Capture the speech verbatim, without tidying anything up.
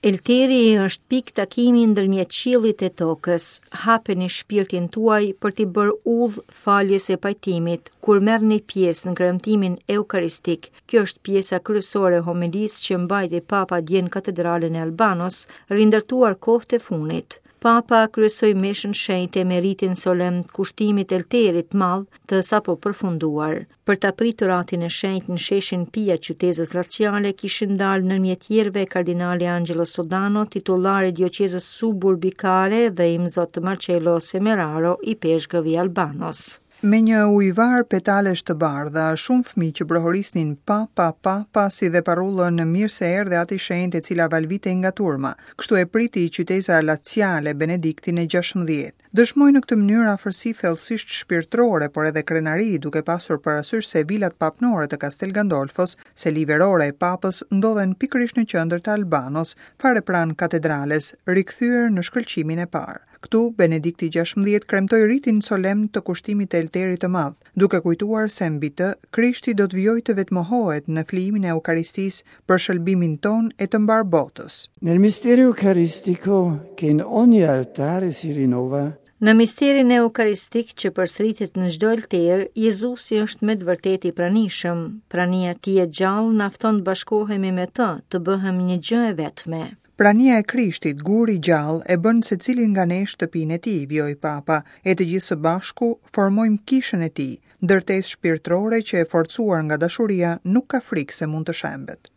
Elteri është pikë takimi ndërmjet qiellit e tokës. Hapeni shpirtin tuaj për t'i bërë udhë faljes e pajtimit kur merrni pjesë në kremtimin eukaristik. Kjo është pjesa kryesore e homilisë që mbajti Papa dje në katedralen e Albanos, rindërtuar kohët e fundit. Papa kryesoi meshën shenjte me ritin solemn të kushtimit elterit madh të sapo përfunduar. Për ta pritur atin e shenjtë në sheshin Pia qytezës laciale kishin dalë ndërmjet tjerëve kardinali Angelo Sodano, titullari i dioqezës suburbikare dhe imzot Marcello Semeraro, ipeshkëv i Albanos. Me një ujëvar petalesh të bardha, shumë fëmijë që brohorisnin pa pa pa pa si dhe parullën mirë se erdhe ati shenjtë e cila valvitej nga turma. Kështu e priti qyteza laciale Benediktin e gjashtëmbëdhjetë. Dëshmoi në këtë mënyrë afërsi thellësisht shpirtërore, por edhe krenari, duke pasur parasysh se vilat papnore të Castel Gandolfos, seli verore e papës, ndodhen pikërisht në qendër të Albanos, fare pranë katedrales, rikthyer në shkëlqimin e parë. Këtu, Benedikti gjashtëmbëdhjetë kremtoi ritin solemn të kushtimit të Elterit të Madh, duke kujtuar se mbi të, Krishti do të vijojë të vetmohohet në flijimin e Eukaristisë për shëlbimin ton e të mbar botës. Nel mistero eucaristico che in ogni altare si rinnova, Në misterin eukaristik që përsëritet në çdo alter, Jezusi është me të vërtetë i pranishëm. Prania e tij e gjallë na fton të bashkohemi me të, të bëhemi një gjë e vetme. Prania e Krishtit, guri i gjallë, e bën secilin nga ne shtëpinë e tij, vijoi Papa, e të gjithë së bashku formojmë kishën e tij, ndërtesë shpirtërore që e forcuar nga dashuria nuk ka frikë se mund të shembet.